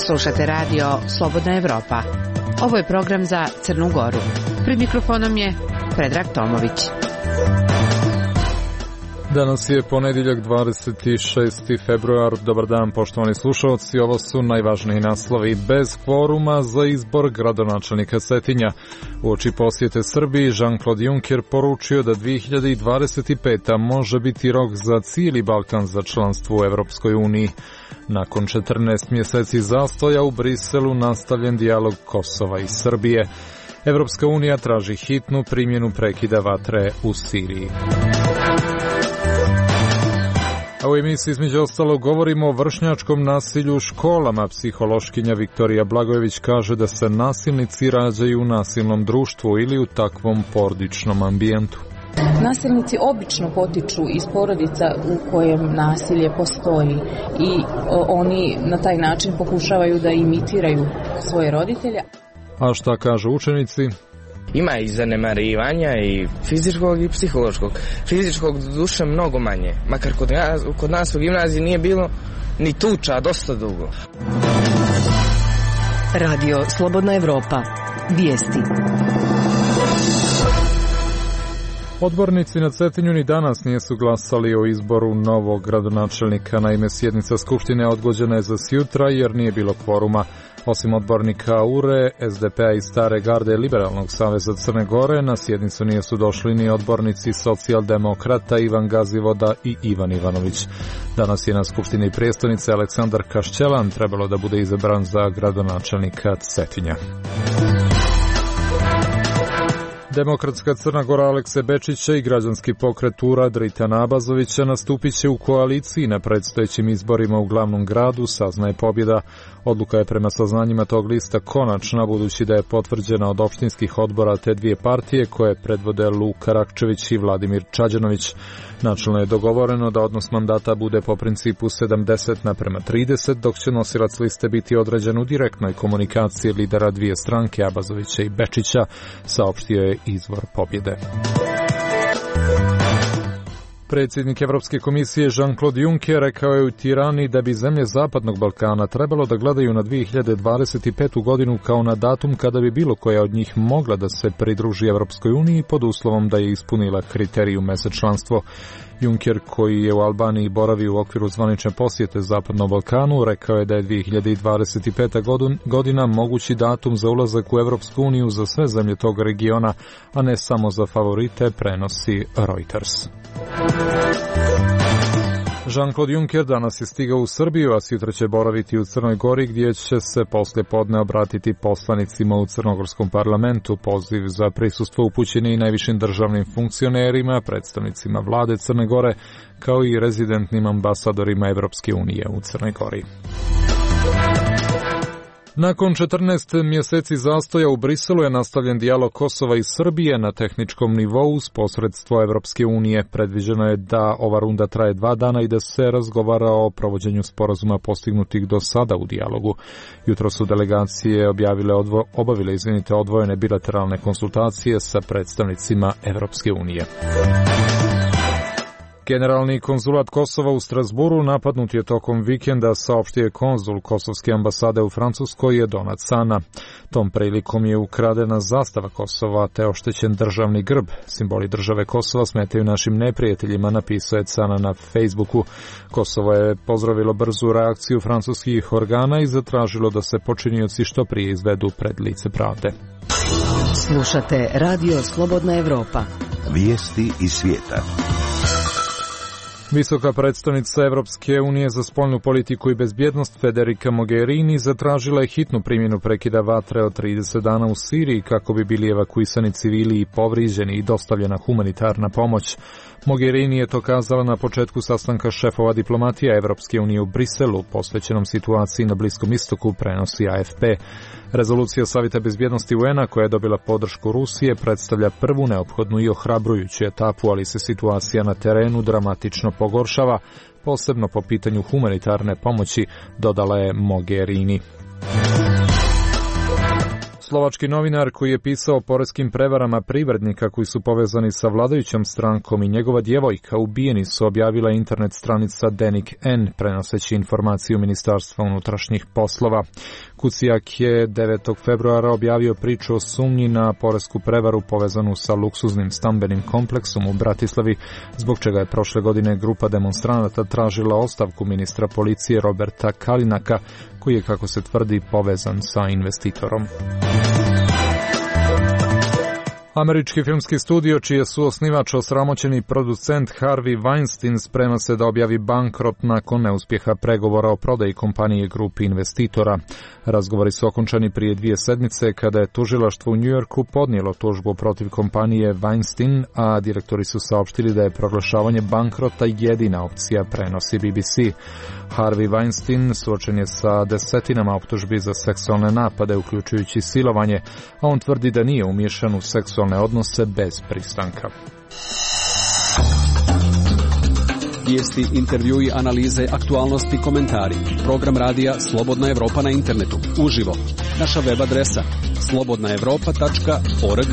Slušate radio Slobodna Evropa. Ovo je program za Crnu Goru. Pred mikrofonom je Predrag Tomović. Danas je ponedjeljak 26. februar. Dobar dan, poštovani slušalci. Ovo su najvažniji naslovi. Bez kvoruma za izbor gradonačelnika Cetinja. Uoči posjete Srbiji, Jean-Claude Juncker poručio da 2025. može biti rok za cijeli Balkan za članstvo u Evropskoj uniji. Nakon 14 mjeseci zastoja u Briselu nastavljen dijalog Kosova i Srbije. Evropska unija traži hitnu primjenu prekida vatre u Siriji. A u emisiji između ostalog govorimo o vršnjačkom nasilju u školama. Psihološkinja Viktorija Blagojević kaže da se nasilnici rađaju u nasilnom društvu ili u takvom porodičnom ambijentu. Nasilnici obično potiču iz porodica u kojem nasilje postoji i oni na taj način pokušavaju da imitiraju svoje roditelje. A šta kažu učenici? Ima i zanemarivanja i fizičkog i psihološkog. Fizičkog duše mnogo manje. Makar kod nas u gimnaziji nije bilo ni tuča dosta dugo. Radio Slobodna Evropa. Vijesti. Odbornici na Cetinju ni danas nisu glasali o izboru novog gradonačelnika. Naime, sjednica Skupštine odgođena je za sjutra jer nije bilo kvoruma. Osim odbornika URE, SDP-a i Stare garde Liberalnog saveza Crne Gore, na sjednicu nisu došli ni odbornici socijaldemokrata Ivan Gazivoda i Ivan Ivanović. Danas je na Skupštini prijestolnice Aleksandar Kašćelan trebalo da bude izabran za gradonačelnika Cetinja. Demokratska Crna Gora Alekse Bečića i građanski pokret URA Dritana Abazovića nastupit će u koaliciji na predstojećim izborima u glavnom gradu, saznaje pobjeda. Odluka je prema saznanjima tog lista konačna, budući da je potvrđena od opštinskih odbora te dvije partije koje predvode Luka Rakčević i Vladimir Čađanović. Načelno je dogovoreno da odnos mandata bude po principu 70:30, dok će nosilac liste biti određen u direktnoj komunikaciji lidera dvije stranke, Abazovića i Bečića, saopštio je izvor pobjede. Predsjednik Evropske komisije Jean-Claude Juncker rekao je u Tirani da bi zemlje Zapadnog Balkana trebalo da gledaju na 2025. godinu kao na datum kada bi bilo koja od njih mogla da se pridruži Evropskoj uniji pod uslovom da je ispunila kriterijume za članstvo. Juncker, koji je u Albaniji boravio u okviru zvanične posjete Zapadnom Balkanu, rekao je da je 2025. godina mogući datum za ulazak u Evropsku uniju za sve zemlje tog regiona, a ne samo za favorite, prenosi Reuters. Jean-Claude Juncker danas je stigao u Srbiju, a sutra će boraviti u Crnoj Gori, gdje će se poslije podne obratiti poslanicima u Crnogorskom parlamentu. Poziv za prisustvo upućen je i najvišim državnim funkcionerima, predstavnicima vlade Crne Gore, kao i rezidentnim ambasadorima Evropske unije u Crnoj Gori. Nakon 14 mjeseci zastoja u Briselu je nastavljen dijalog Kosova i Srbije na tehničkom nivou s posredstvo Evropske unije. Predviđeno je da ova runda traje 2 dana i da se razgovara o provođenju sporazuma postignutih do sada u dijalogu. Jutro su delegacije obavile odvojene bilateralne konsultacije sa predstavnicima Evropske unije. Generalni konzulat Kosova u Strasburu napadnut je tokom vikenda, saopštio je konzul Kosovske ambasade u Francuskoj Donat Sana. Tom prilikom je ukradena zastava Kosova te oštećen državni grb. Simboli države Kosova smetaju našim neprijateljima, napisao je Sana na Facebooku. Kosovo je pozdravilo brzu reakciju francuskih organa i zatražilo da se počinioci što prije izvedu pred lice pravde. Slušate Radio Slobodna Evropa. Vijesti iz svijeta. Visoka predstavnica Evropske unije za spoljnu politiku i bezbjednost Federica Mogherini zatražila je hitnu primjenu prekida vatre od 30 dana u Siriji kako bi bili evakuisani civili i povrijeđeni i dostavljena humanitarna pomoć. Mogherini je to kazala na početku sastanka šefova diplomatija Evropske unije u Briselu, posvećenom situaciji na Bliskom istoku, prenosi AFP. Rezolucija Savjeta bezbjednosti UN-a, koja je dobila podršku Rusije, predstavlja prvu neophodnu i ohrabrujuću etapu, ali se situacija na terenu dramatično pogoršava, posebno po pitanju humanitarne pomoći, dodala je Mogherini. Slovački novinar koji je pisao o poreskim prevarama privrednika koji su povezani sa vladajućom strankom i njegova djevojka ubijeni su, objavila internet stranica Denik N, prenoseći informaciju Ministarstva unutrašnjih poslova. Kucijak je 9. februara objavio priču o sumnji na poresku prevaru povezanu sa luksuznim stambenim kompleksom u Bratislavi, zbog čega je prošle godine grupa demonstranata tražila ostavku ministra policije Roberta Kalinaka, koji je, kako se tvrdi, povezan sa investitorom. Američki filmski studio, čiji je suosnivač osramoćeni producent Harvey Weinstein, sprema se da objavi bankrot nakon neuspjeha pregovora o prodaji kompanije grupi investitora. Razgovori su okončani prije 2 sedmice kada je tužilaštvo u New Yorku podnijelo tužbu protiv kompanije Weinstein, a direktori su saopštili da je proglašavanje bankrota jedina opcija, prenosi BBC. Harvey Weinstein suočen je sa desetinama optužbi za seksualne napade, uključujući silovanje, a on tvrdi da nije umiješan u seksualne odnose bez pristanka. Vijesti, intervjui, analize, aktualnosti, komentari. Program radija Slobodna Evropa na internetu. Uživo. Naša web adresa slobodnaevropa.org.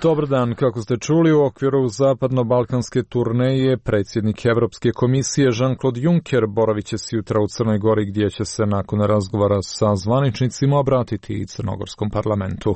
Dobar dan, kako ste čuli, u okviru zapadno-balkanske turneje predsjednik Evropske komisije Jean-Claude Juncker boravit će se jutra u Crnoj Gori, gdje će se nakon razgovora sa zvaničnicima obratiti i Crnogorskom parlamentu.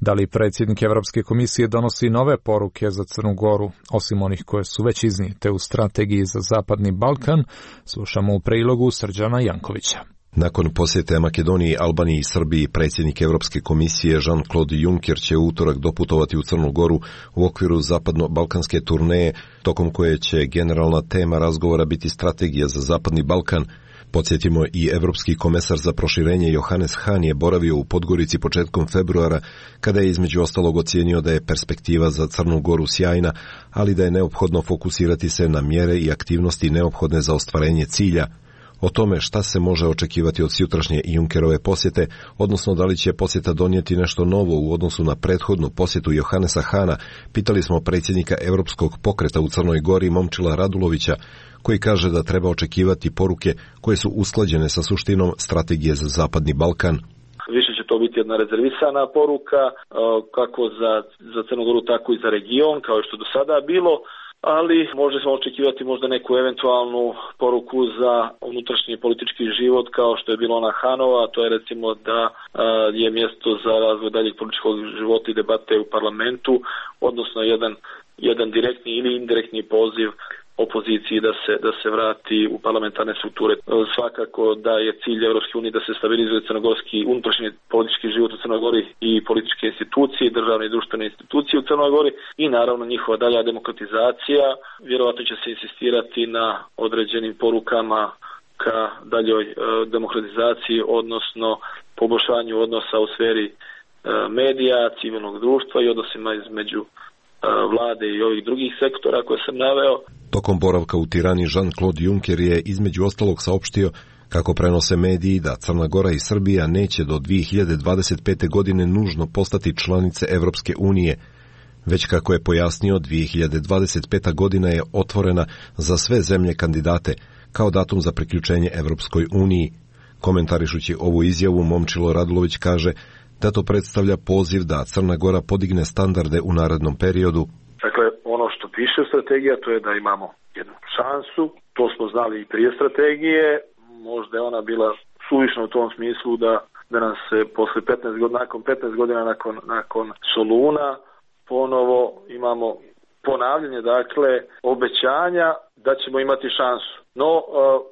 Da li predsjednik Evropske komisije donosi nove poruke za Crnu Goru, osim onih koje su već iznijete u strategiji za Zapadni Balkan, slušamo u prilogu Srđana Jankovića. Nakon posjete Makedoniji, Albaniji i Srbiji, predsjednik Evropske komisije Jean-Claude Juncker će u utorak doputovati u Crnu Goru u okviru zapadno-balkanske turneje, tokom koje će generalna tema razgovora biti strategija za Zapadni Balkan. Podsjetimo, i Evropski komesar za proširenje Johannes Hahn je boravio u Podgorici početkom februara, kada je između ostalog ocijenio da je perspektiva za Crnu Goru sjajna, ali da je neophodno fokusirati se na mjere i aktivnosti neophodne za ostvarenje cilja. O tome šta se može očekivati od sutrašnje Junckerove posjete, odnosno da li će posjeta donijeti nešto novo u odnosu na prethodnu posjetu Johannesa Hahna, pitali smo predsjednika Europskog pokreta u Crnoj Gori Momčila Radulovića, koji kaže da treba očekivati poruke koje su usklađene sa suštinom strategije za Zapadni Balkan. Više će to biti jedna rezervisana poruka, kako za Crnu Goru, tako i za region, kao što je do sada bilo, ali možemo očekivati možda neku eventualnu poruku za unutrašnji politički život, kao što je bilo ona Hanova, to je recimo da je mjesto za razvoj daljeg političkog života i debate u parlamentu, odnosno jedan direktni ili indirektni poziv opoziciji da se vrati u parlamentarne strukture. Svakako da je cilj Europske unije da se stabilizuje crnogorski unutrašnji politički život u Crnoj Gori i političke institucije, državne i društvene institucije u Crnoj Gori i naravno njihova dalja demokratizacija. Vjerojatno će se insistirati na određenim porukama ka daljoj demokratizaciji, odnosno poboljšanju odnosa u sferi medija, civilnog društva i odnosima između vlade i ovih drugih sektora koje sam naveo. Tokom boravka u Tirani Jean-Claude Juncker je između ostalog saopštio kako prenose mediji da Crna Gora i Srbija neće do 2025. godine nužno postati članice Evropske unije, već kako je pojasnio 2025. godina je otvorena za sve zemlje kandidate kao datum za priključenje Evropskoj uniji. Komentarišući ovu izjavu, Momčilo Radulović kaže da to predstavlja poziv da Crna Gora podigne standarde u narednom periodu. Dakle, ono što piše u strategiji, to je da imamo jednu šansu, to smo znali i prije strategije, možda je ona bila suvišna u tom smislu da nam se posle 15 godina nakon Soluna ponovo imamo ponavljanje, dakle, obećanja da ćemo imati šansu. No,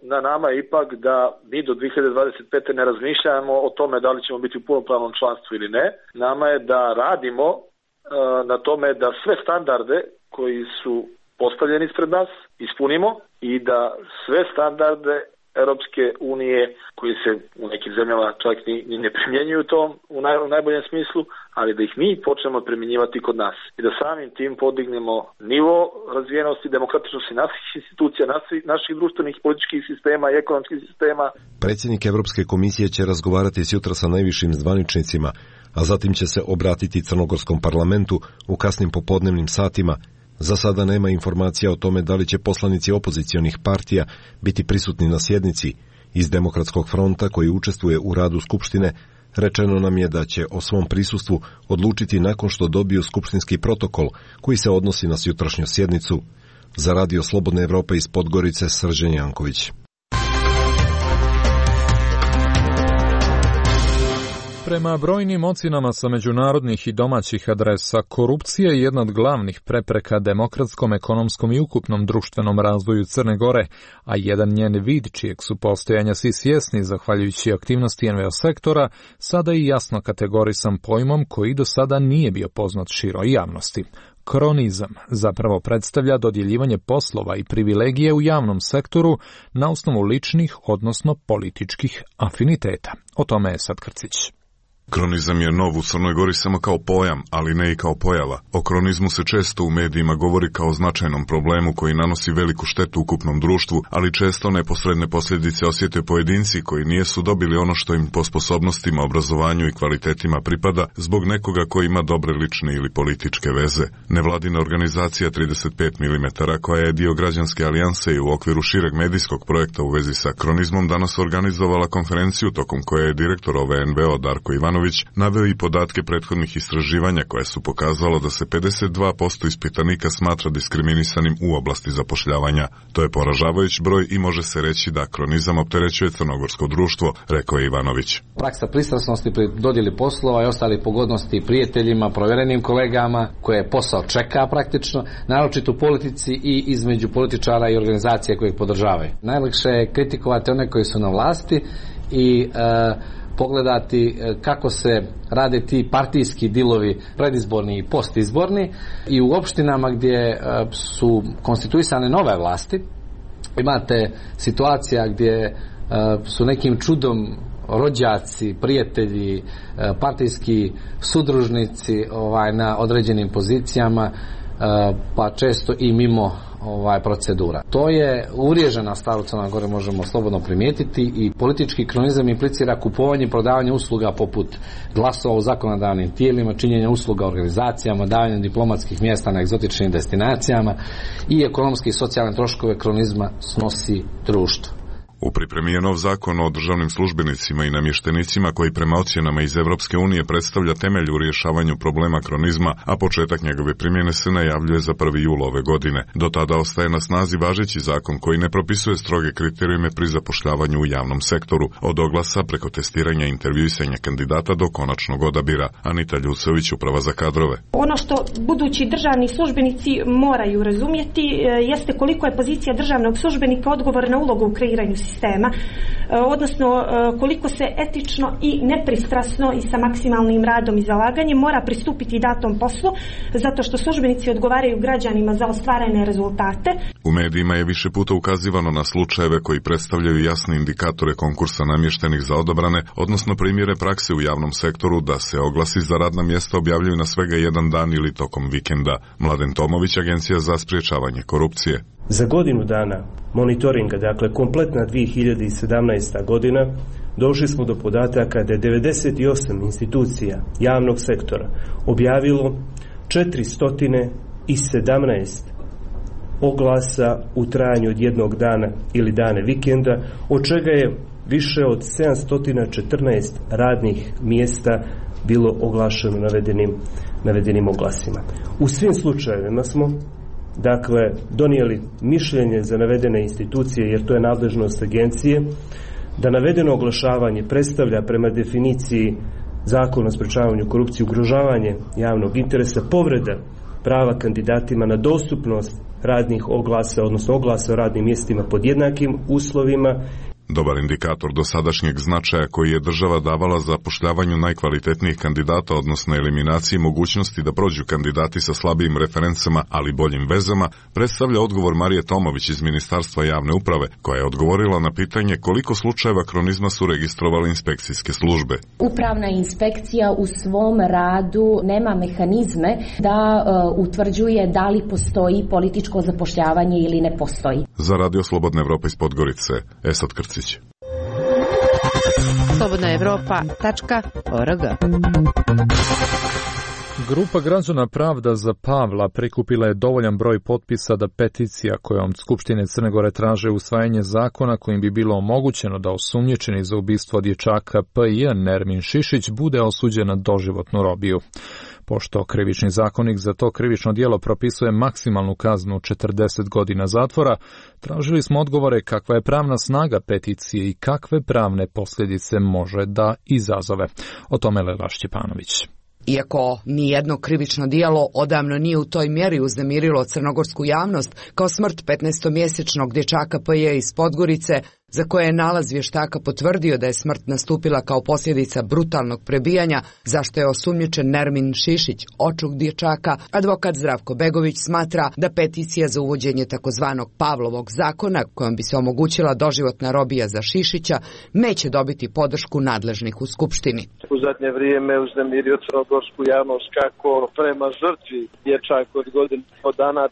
na nama je ipak da mi do 2025. ne razmišljamo o tome da li ćemo biti u punopravnom članstvu ili ne. Nama je da radimo na tome da sve standarde koji su postavljeni ispred nas ispunimo i da sve standarde Europske unije koji se u nekim zemljama čak ni ne primjenjuju to u najboljem smislu, ali da ih mi počnemo primjenjivati kod nas i da samim tim podignemo nivo razvijenosti, demokratičnosti naših institucija, naših društvenih političkih sistema i ekonomskih sistema. Predsjednik Evropske komisije će razgovarati sutra sa najvišim zvaničnicima, a zatim će se obratiti Crnogorskom parlamentu u kasnim popodnevnim satima. Za sada nema informacija o tome da li će poslanici opozicionih partija biti prisutni na sjednici, Iz Demokratskog fronta, koji učestvuje u radu Skupštine, rečeno nam je da će o svom prisustvu odlučiti nakon što dobiju skupštinski protokol koji se odnosi na jutrašnju sjednicu. Za Radio Slobodne Evrope iz Podgorice, Srđan Janković. Prema brojnim ocjenama sa međunarodnih i domaćih adresa, korupcija je jedna od glavnih prepreka demokratskom, ekonomskom i ukupnom društvenom razvoju Crne Gore, a jedan njen vid čijeg su postojanja svi svjesni zahvaljujući aktivnosti NVO sektora, sada je jasno kategorisan pojmom koji do sada nije bio poznat široj javnosti. Kronizam zapravo predstavlja dodjeljivanje poslova i privilegije u javnom sektoru na osnovu ličnih, odnosno političkih afiniteta. O tome je Sad Krcić. Kronizam je nov u Crnoj Gori samo kao pojam, ali ne i kao pojava. O kronizmu se često u medijima govori kao značajnom problemu koji nanosi veliku štetu ukupnom društvu, ali često neposredne posljedice osjete pojedinci koji nijesu dobili ono što im po sposobnostima, obrazovanju i kvalitetima pripada zbog nekoga koji ima dobre lične ili političke veze. Nevladina organizacija 35 mm, koja je dio građanske alijanse i u okviru šireg medijskog projekta u vezi sa kronizmom, danas organizovala konferenciju tokom koje je direktor ove NVO Darko Ivanović naveo i podatke prethodnih istraživanja koje su pokazalo da se 52% ispitanika smatra diskriminisanim u oblasti zapošljavanja. To je poražavajući broj i može se reći da kronizam opterećuje crnogorsko društvo, rekao je Ivanović. Praksa pristrasnosti pri dodjeli poslova i ostali pogodnosti prijateljima, provjerenim kolegama koje posao čeka praktično, naročito u politici i između političara i organizacije koje ih podržavaju. Najlakše je kritikovati one koji su na vlasti i pogledati kako se rade ti partijski dilovi predizborni i postizborni i u opštinama gdje su konstituisane nove vlasti imate situacija gdje su nekim čudom rođaci, prijatelji, partijski sudružnici na određenim pozicijama, pa često i mimo procedura. To je uvriježena stvar u Crnoj Gori, možemo slobodno primijetiti, i politički kronizam implicira kupovanje i prodavanje usluga poput glasova u zakonodavnim tijelima, činjenja usluga organizacijama, davanje diplomatskih mjesta na egzotičnim destinacijama i ekonomske i socijalne troškove kronizma snosi društvo. U pripremi je nov zakon o državnim službenicima i namještenicima koji prema ocjenama iz Evropske unije predstavlja temelj u rješavanju problema kronizma, a početak njegove primjene se najavljuje za 1. jul ove godine. Do tada ostaje na snazi važeći zakon koji ne propisuje stroge kriterijume pri zapošljavanju u javnom sektoru, od oglasa preko testiranja i intervjuisanja kandidata do konačnog odabira. Anita Ljucović, Uprava za kadrove. Ono što budući državni službenici moraju razumjeti jeste koliko je pozicija državnog službenika odgovorna uloga u kreiranju sistema, odnosno koliko se etično i nepristrasno i sa maksimalnim radom i zalaganjem mora pristupiti datom poslu, zato što službenici odgovaraju građanima za ostvarene rezultate. U medijima je više puta ukazivano na slučajeve koji predstavljaju jasne indikatore konkursa namještenih za odabrane, odnosno primjere prakse u javnom sektoru da se oglasi za radna mjesta objavljuju na svega jedan dan ili tokom vikenda. Mladen Tomović, Agencija za sprječavanje korupcije. Za godinu dana monitoringa, dakle kompletna 2017. godina, došli smo do podataka da je 98 institucija javnog sektora objavilo 417 oglasa u trajanju od jednog dana ili dane vikenda, od čega je više od 714 radnih mjesta bilo oglašeno navedenim oglasima. U svim slučajevima smo donijeli mišljenje za navedene institucije, jer to je nadležnost agencije, da navedeno oglašavanje predstavlja prema definiciji Zakona o sprečavanju korupcije ugrožavanje javnog interesa, povreda prava kandidatima na dostupnost radnih oglasa, odnosno oglasa o radnim mjestima pod jednakim uslovima. Dobar indikator dosadašnjeg značaja koji je država davala za zapošljavanju najkvalitetnijih kandidata, odnosno eliminaciji mogućnosti da prođu kandidati sa slabijim referencama, ali boljim vezama, predstavlja odgovor Marije Tomović iz Ministarstva javne uprave, koja je odgovorila na pitanje koliko slučajeva kronizma su registrovali inspekcijske službe. Upravna inspekcija u svom radu nema mehanizme da utvrđuje da li postoji političko zapošljavanje ili ne postoji. Za Radio Slobodna Evropa iz Podgorice, Esad Krcić. Slobodna Evropa.org Grupa građana Pravda za Pavla prikupila je dovoljan broj potpisa da peticija kojom Skupštine Crne Gore traže usvajanje zakona kojim bi bilo omogućeno da osumnjičeni za ubistvo dječaka P.I. Nermin Šišić bude osuđen na doživotnu robiju. Pošto krivični zakonik za to krivično djelo propisuje maksimalnu kaznu 40 godina zatvora, tražili smo odgovore kakva je pravna snaga peticije i kakve pravne posljedice može da izazove. O tome Lela Šćepanović. Iako nijedno krivično djelo odavno nije u toj mjeri uznemirilo crnogorsku javnost kao smrt 15-mjesečnog dječaka P.J. iz Podgorice, za koje je nalaz vještaka potvrdio da je smrt nastupila kao posljedica brutalnog prebijanja, zašto je osumnjičen Nermin Šišić, očuh dječaka, advokat Zdravko Begović smatra da peticija za uvođenje takozvanog Pavlovog zakona, kojom bi se omogućila doživotna robija za Šišića, neće dobiti podršku nadležnih u Skupštini. U zadnje vrijeme uznemirio crnogorsku javnost kako prema žrtvi dječak od godinu dana,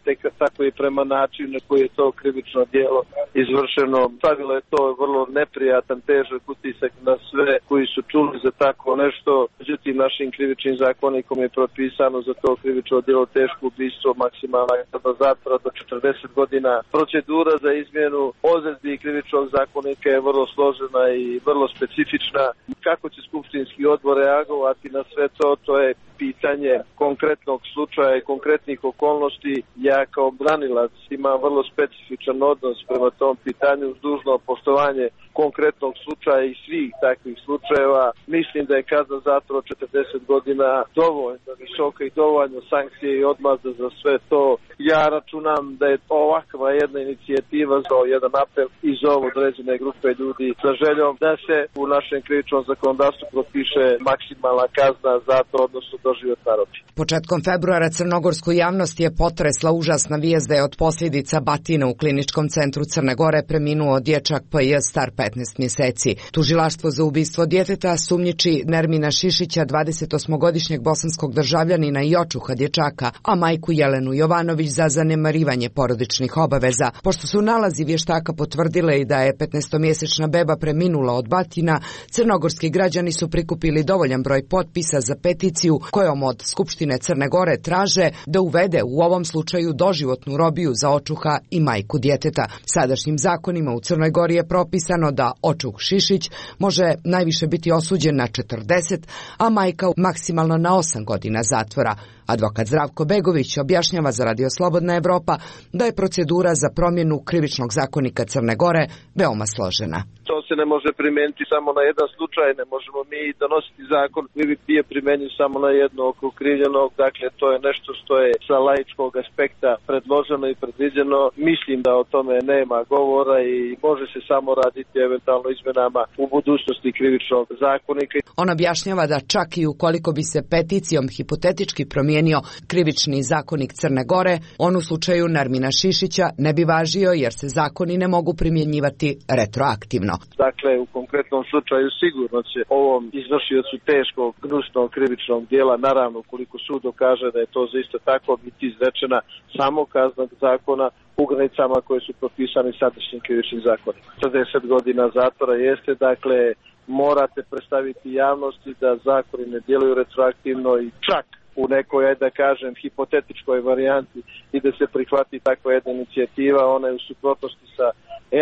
tako i prema načinu na koji je to krivično djelo izvršeno. Stavilo je to vrlo neprijatan, težak utisak na sve koji su čuli za tako nešto. Međutim, našim krivičnim zakonikom je propisano za to krivično djelo teško ubistvo, maksimalna kazna zatvora do 40 godina. Procedura za izmjenu odredbi krivičnog zakonika je vrlo složena i vrlo specifična. Kako će skupštinski odbor reagovati na sve to, to je pitanje konkretnog slučaja i konkretnih okolnosti. Ja kao branilac imam vrlo specifičan odnos prema tom pitanju uz dužno poštovanje konkretnog slučaja i svih takvih slučajeva. Mislim da je kazna zatvora 40 godina dovoljno visoka i dovoljno sankcije i odmazda za sve to. Ja računam da je ovakva jedna inicijativa za jedan apel i za određene grupe ljudi sa željom da se u našem krivičnom zakonodavstvu propiše maksimalna kazna zatvora, odnosno doživotna robija. Početkom februara crnogorsku javnost je potresla užasna vijest da je od posljedica batina u kliničkom centru Crne Gore preminuo dječak P.J. star 15 mjeseci. Tužilaštvo za ubistvo djeteta sumnjiči Nermina Šišića, 28-godišnjeg bosanskog državljanina i očuha dječaka, a majku Jelenu Jovanović za zanemarivanje porodičnih obaveza. Pošto su nalazi vještaka potvrdile i da je 15-mjesečna beba preminula od batina, crnogorski građani su prikupili dovoljan broj potpisa za peticiju kojom od Skupštine Crne Gore traže da uvede u ovom slučaju doživotnu robiju za očuha i majku djeteta. Sadašnjim zakonima u Crnoj Gori je propisano da očuh Šišić može najviše biti osuđen na 40, a majka maksimalno na 8 godina zatvora. Advokat Zdravko Begović objašnjava za Radio Slobodna Evropa da je procedura za promjenu krivičnog zakonika Crne Gore veoma složena. To se ne može primijeniti samo na jedan slučaj, ne možemo mi donositi zakon koji bi bio primjenjiv samo na jednog okrivljenog, dakle to je nešto što je sa laičkog aspekta predloženo i predviđeno. Mislim da o tome nema govora i može se samo raditi eventualno izmjenama u budućnosti krivičnog zakonika. On objašnjava da čak i ukoliko bi se peticijom hipotetički promijenio krivični zakonik Crne Gore, on u slučaju Nermina Šišića ne bi važio jer se zakoni ne mogu primjenjivati retroaktivno. Dakle, u konkretnom slučaju sigurno će ovom izvršiocu teškog, gnusnog krivičnog djela, naravno ukoliko sud dokaže da je to isto tako, biti izrečena samo kazna zakona u granicama koje su propisane sadašnjim krivičnim zakonom. 40 godina zatvora jeste, dakle, morate predstaviti javnosti da zakoni ne djeluju retroaktivno i čak u nekoj, da kažem, hipotetičkoj varijanti i da se prihvati takva jedna inicijativa, ona je u suprotnosti sa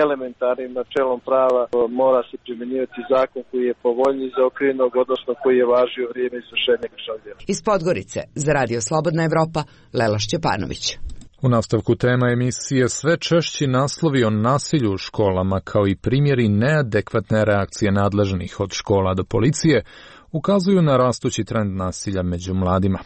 elementarnim načelom prava, mora se primjenjivati zakon koji je povoljniji za okrivljenog, odnosno koji je važio vrijeme izvršenja krivičnog djela. Iz Podgorice za Radio Slobodna Evropa, Lela Šćepanović. U nastavku tema emisije sve češći naslovi o nasilju u školama kao i primjeri neadekvatne reakcije nadležnih od škola do policije ukazuju na rastući trend nasilja među mladima.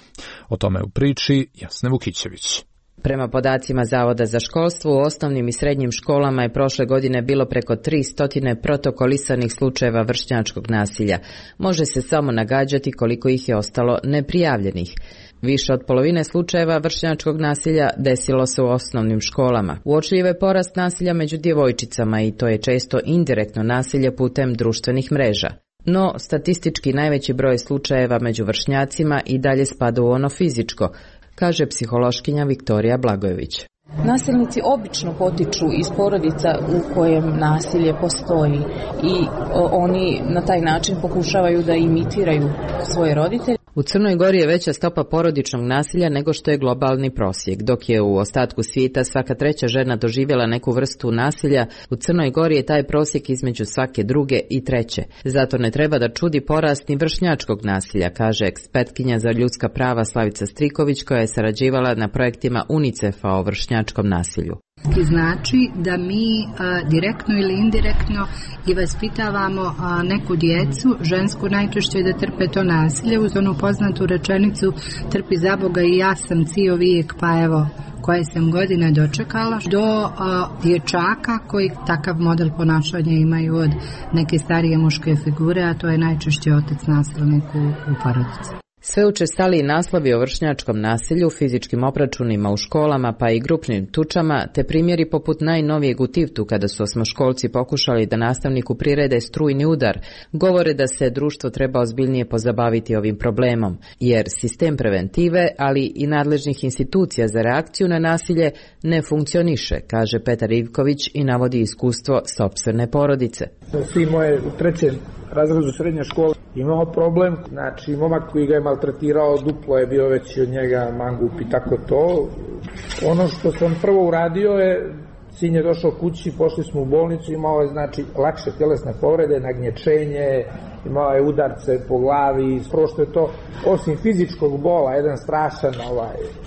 O tome u priči Jasne Vukićević. Prema podacima Zavoda za školstvo, u osnovnim i srednjim školama je prošle godine bilo preko 300 protokolisanih slučajeva vršnjačkog nasilja. Može se samo nagađati koliko ih je ostalo neprijavljenih. Više od polovine slučajeva vršnjačkog nasilja desilo se u osnovnim školama. Uočljiv je porast nasilja među djevojčicama i to je često indirektno nasilje putem društvenih mreža. No, statistički najveći broj slučajeva među vršnjacima i dalje spada u ono fizičko, kaže psihološkinja Viktorija Blagojević. Nasilnici obično potiču iz porodica u kojem nasilje postoji i oni na taj način pokušavaju da imitiraju svoje roditelje. U Crnoj Gori je veća stopa porodičnog nasilja nego što je globalni prosjek. Dok je u ostatku svijeta svaka treća žena doživjela neku vrstu nasilja, u Crnoj Gori je taj prosjek između svake druge i treće. Zato ne treba da čudi porast ni vršnjačkog nasilja, kaže ekspertkinja za ljudska prava Slavica Striković, koja je sarađivala na projektima UNICEF-a o vršnjačkom nasilju. Znači da mi direktno ili indirektno i vaspitavamo neku djecu, žensku najčešće da trpe to nasilje, uz onu poznatu rečenicu trpi za Boga i ja sam cijel vijek, pa evo koje sam godina dočekala, do dječaka koji takav model ponašanja imaju od neke starije muške figure, a to je najčešće otac nasilnik u porodici. Sve učestaliji naslovi o vršnjačkom nasilju, fizičkim obračunima u školama pa i grupnim tučama, te primjeri poput najnovijeg u Tivtu kada su osmoškolci pokušali da nastavniku prirede strujni udar, govore da se društvo treba ozbiljnije pozabaviti ovim problemom, jer sistem preventive, ali i nadležnih institucija za reakciju na nasilje ne funkcioniše, kaže Petar Ivković i navodi iskustvo sopstvene porodice. Svi moje u trećem razredu srednje škole imao problem, znači momak koji ga je maltretirao duplo je bio veći od njega, mangup i tako to. Ono što sam prvo uradio je, sin je došao kući, pošli smo u bolnicu, imao je znači lakše tjelesne povrede, nagnječenje, imao je udarce po glavi, prošto je to osim fizičkog bola, jedan strašan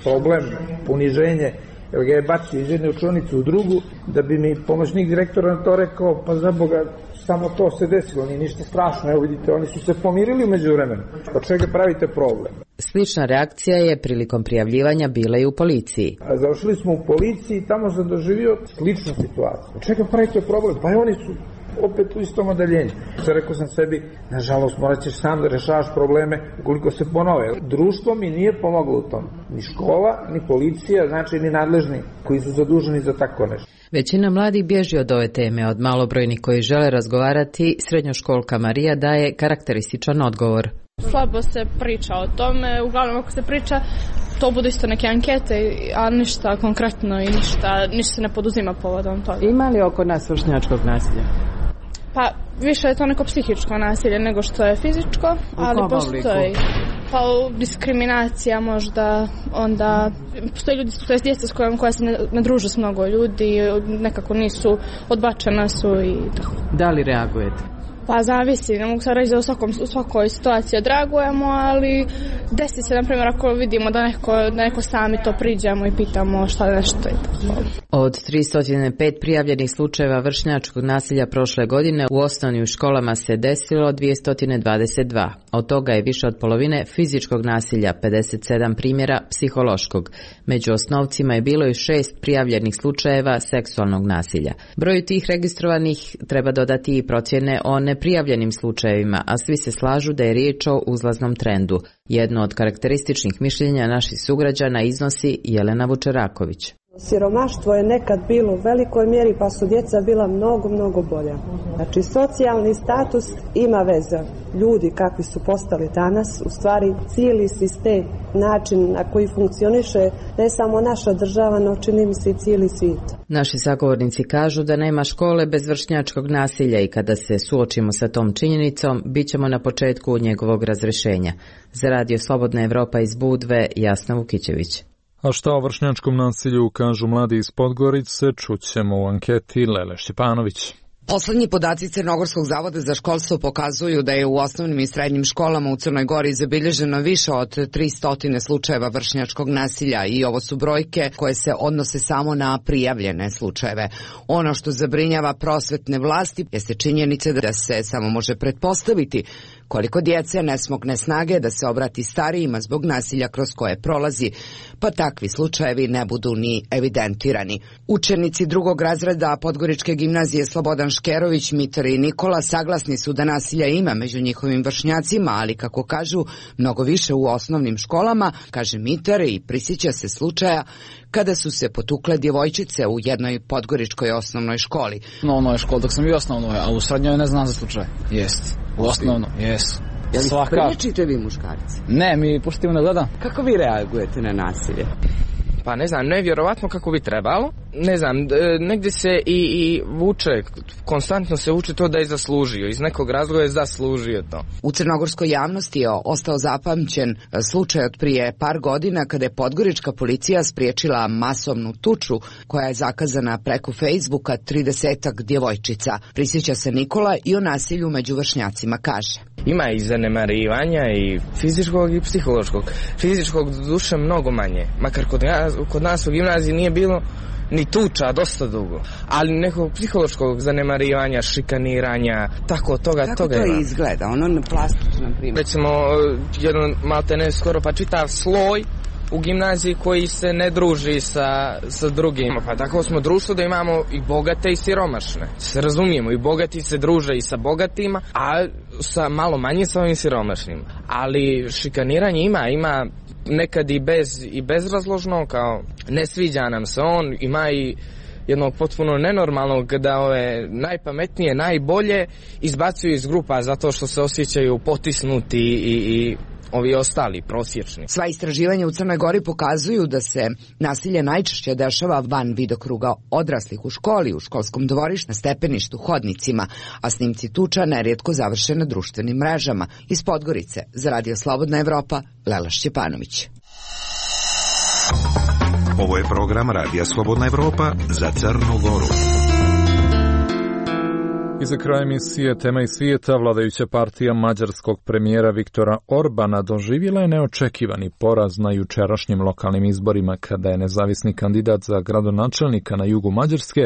problem, poniženje, jer ga je bacio iz jedne učionice u drugu, da bi mi pomoćnik direktora na to rekao, pa za Boga, samo to se desilo, nije ništa strašno, evo vidite, oni su se pomirili u međuvremenu, od čega pravite problem? Slična reakcija je prilikom prijavljivanja bila i u policiji. Završili smo u policiji i tamo sam doživio sličnu situaciju. Od čega pravite problem? Pa i oni su opet u istom odeljenju. Rekao sam sebi, nažalost morat ćeš sam da rešavaš probleme ukoliko se ponove. Društvo mi nije pomoglo u tom. Ni škola, ni policija, znači ni nadležni koji su zaduženi za tako nešto. Većina mladih bježi od ove teme, od malobrojnih koji žele razgovarati, srednjoškolka Marija daje karakterističan odgovor. Slabo se priča o tome, uglavnom ako se priča, to budu isto neke ankete, a ništa konkretno i ništa se ne poduzima povodom toga. Ima li oko nas vršnjačkog nasilja? Pa više je to neko psihičko nasilje nego što je fizičko, ali postoji diskriminacija možda, onda postoji ljudi, to je djeca s koja se ne druže s mnogo ljudi, nekako nisu, odbačena su i tako. Da li reagujete? Pa zavisi, ne mogu sad reći da u svakoj situaciji odreagujemo, ali desi se, na primjer, ako vidimo da neko sami to priđemo i pitamo šta nešto je. Od 305 prijavljenih slučajeva vršnjačkog nasilja prošle godine u osnovnim školama se desilo 222. Od toga je više od polovine fizičkog nasilja, 57 primjera psihološkog. Među osnovcima je bilo i 6 prijavljenih slučajeva seksualnog nasilja. Broju tih registrovanih treba dodati i procjene o neprijavljenim slučajevima, a svi se slažu da je riječ o uzlaznom trendu. Jedno od karakterističnih mišljenja naših sugrađana iznosi Jelena Vučeraković. Siromaštvo je nekad bilo u velikoj mjeri, pa su djeca bila mnogo bolja. Znači, socijalni status ima veze. Ljudi kakvi su postali danas, u stvari cijeli sistem, način na koji funkcioniše ne samo naša država, no čini mi se i cijeli svijet. Naši sagovornici kažu da nema škole bez vršnjačkog nasilja i kada se suočimo sa tom činjenicom, bit ćemo na početku njegovog razrješenja. Za Radio Slobodna Evropa iz Budve, Jasna Vukićević. A šta o vršnjačkom nasilju kažu mladi iz Podgorice, čućemo u anketi Lele Šćepanović. Poslednji podaci Crnogorskog zavoda za školstvo pokazuju da je u osnovnim i srednjim školama u Crnoj Gori zabilježeno više od 300 slučajeva vršnjačkog nasilja i ovo su brojke koje se odnose samo na prijavljene slučajeve. Ono što zabrinjava prosvetne vlasti jeste činjenica da se samo može pretpostaviti koliko djece ne smogne snage da se obrati starijima zbog nasilja kroz koje prolazi, pa takvi slučajevi ne budu ni evidentirani. Učenici drugog razreda Podgoričke gimnazije Slobodan Škerović, Mitar i Nikola saglasni su da nasilja ima među njihovim vršnjacima, ali kako kažu, mnogo više u osnovnim školama, kaže Mitar i prisjeća se slučaja kada su se potukle djevojčice u jednoj podgoričkoj osnovnoj školi. U onoj školi dok sam bio osnovnoj, a u srednjoj ne znam za slučaj. Jest. U osnovno, jesu. Jel priječite vi muškarci? Ne, mi puštimo da gledam. Kako vi reagujete na nasilje? Pa ne znam, nevjerovatno kako bi trebalo, ne znam, negdje se i vuče, konstantno se vuče to da je zaslužio, iz nekog razloga je zaslužio to. U crnogorskoj javnosti je ostao zapamćen slučaj od prije par godina kada je podgorička policija spriječila masovnu tuču koja je zakazana preko Facebooka 30-ak djevojčica. Prisjeća se Nikola i o nasilju među vršnjacima kaže. Ima i zanemarivanja i fizičkog i psihološkog. Fizičkog duše mnogo manje, makar kod nas u gimnaziji nije bilo ni tuča dosta dugo, ali nekog psihološkog zanemarivanja, šikaniranja, tako toga. Kako to ima. Izgleda? Ono na plastično, na primjer. Recimo, jedan maltene skoro pa čitav sloj u gimnaziji koji se ne druži sa drugima. Pa tako smo društvo da imamo i bogate i siromašne. Se razumijemo, i bogati se druže i sa bogatima, a sa malo manje sa ovim siromašnim. Ali šikaniranje ima nekad i bezrazložno, kao ne sviđa nam se on, ima i jednog potpuno nenormalnog da ove najpametnije, najbolje izbacuju iz grupa zato što se osjećaju potisnuti i ovi ostali prosječni. Sva istraživanja u Crnoj Gori pokazuju da se nasilje najčešće dešava van vidokruga odraslih u školi, u školskom dvorištu, na stepeništu, hodnicima, a snimci tuča nerijetko završe na društvenim mrežama. Iz Podgorice, za Radio Slobodna Evropa, Lela Šćepanović. Ovo je program Radija Slobodna Evropa za Crnu Goru. I za kraj emisije Tema iz svijeta, vladajuća partija mađarskog premijera Viktora Orbana doživjela je neočekivani poraz na jučerašnjim lokalnim izborima kada je nezavisni kandidat za gradonačelnika na jugu Mađarske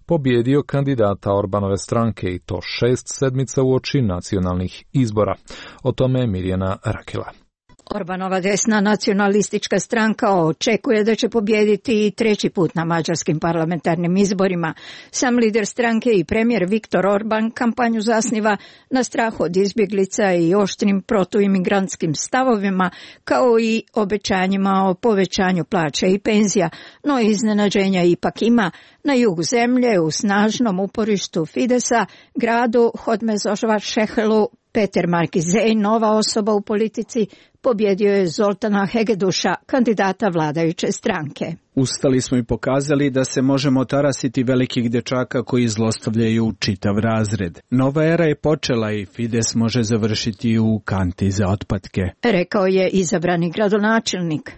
pobjedio kandidata Orbanove stranke i to 6 sedmica uoči nacionalnih izbora. O tome je Mirjana Rakela. Orbanova desna nacionalistička stranka očekuje da će pobijediti i treći put na mađarskim parlamentarnim izborima. Sam lider stranke i premijer Viktor Orban kampanju zasniva na strahu od izbjeglica i oštrim protuimigrantskim stavovima, kao i obećanjima o povećanju plaća i penzija, no iznenađenja ipak ima. Na jugu zemlje, u snažnom uporištu Fidesa, gradu Hódmezsvásárhely, Peter Markizej, nova osoba u politici, pobjedio je Zoltana Hegeduša, kandidata vladajuće stranke. Ustali smo i pokazali da se možemo tarasiti velikih dečaka koji zlostavljaju čitav razred. Nova era je počela i Fides može završiti u kanti za otpatke, rekao je izabrani gradonačelnik.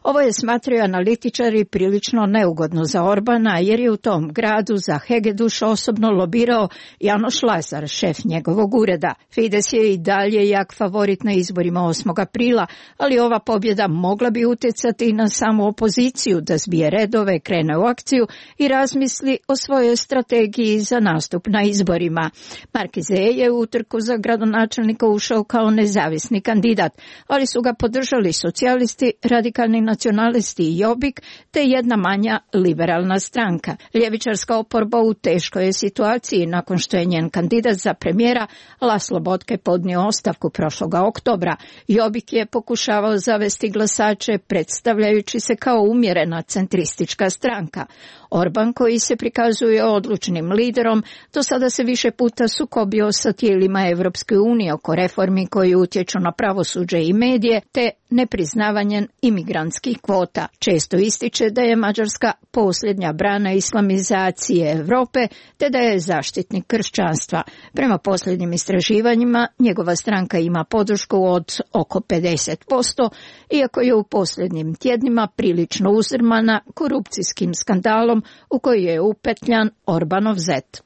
Ovo je, smatraju analitičari, prilično neugodno za Orbana, jer je u tom gradu za Hegeduša osobno lobirao Janoš Lazar, šef njegovog ureda. Fides je i dalje jak favorit na izborima 8. aprila, ali ova pobjeda mogla bi utjecati na samu opoziciju da zbije redove, krene u akciju i razmisli o svojoj strategiji za nastup na izborima. Markizej je u utrku za gradonačelnika ušao kao nezavisni kandidat, ali su ga podržali socijalisti, radikalni nacionalisti i Jobbik, te jedna manja liberalna stranka. Ljevičarska oporba u teškoj je situaciji nakon što je njen kandidat za premijera Laszlo Botke podnio ostavku prošloga oktobra. Jobbik je pokušavao zavesti glasače predstavljajući se kao umjerena centristička stranka. Orban, koji se prikazuje odlučnim liderom, do sada se više puta sukobio sa tijelima Evropske unije oko reformi koji utječu na pravosuđe i medije, te nepriznavanjem imigrantskih kvota. Često ističe da je Mađarska posljednja brana islamizacije Europe, te da je zaštitnik kršćanstva. Prema posljednjim istraživanjima, njegova stranka ima podršku od oko 50%, iako je u posljednjim tjednima prilično uzdrmana korupcijskim skandalom u koji je upetljan Orbanov zet.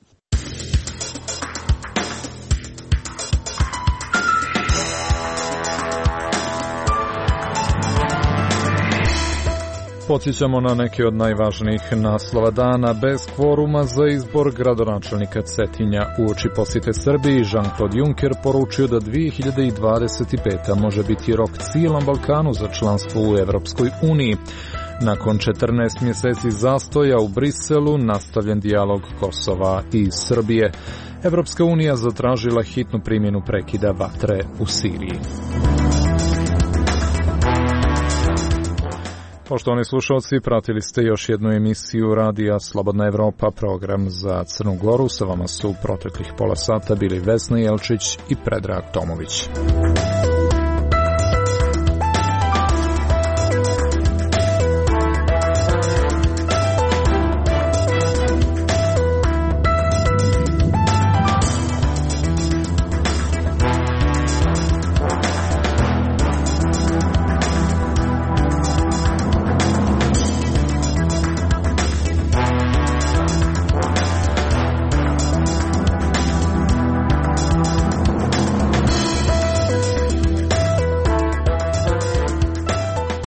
Podsjećamo na neke od najvažnijih naslova dana. Bez kvoruma za izbor gradonačelnika Cetinja uoči posjete Srbiji, Jean-Claude Juncker poručio da 2025. može biti rok cijelom Balkanu za članstvo u Evropskoj uniji. Nakon 14 mjeseci zastoja u Briselu nastavljen dijalog Kosova i Srbije. Evropska unija zatražila hitnu primjenu prekida vatre u Siriji. Poštovani slušalci, pratili ste još jednu emisiju Radija Slobodna Evropa, program za Crnu Goru. Sa vama su proteklih pola sata bili Vesna Jelčić i Predrag Tomović.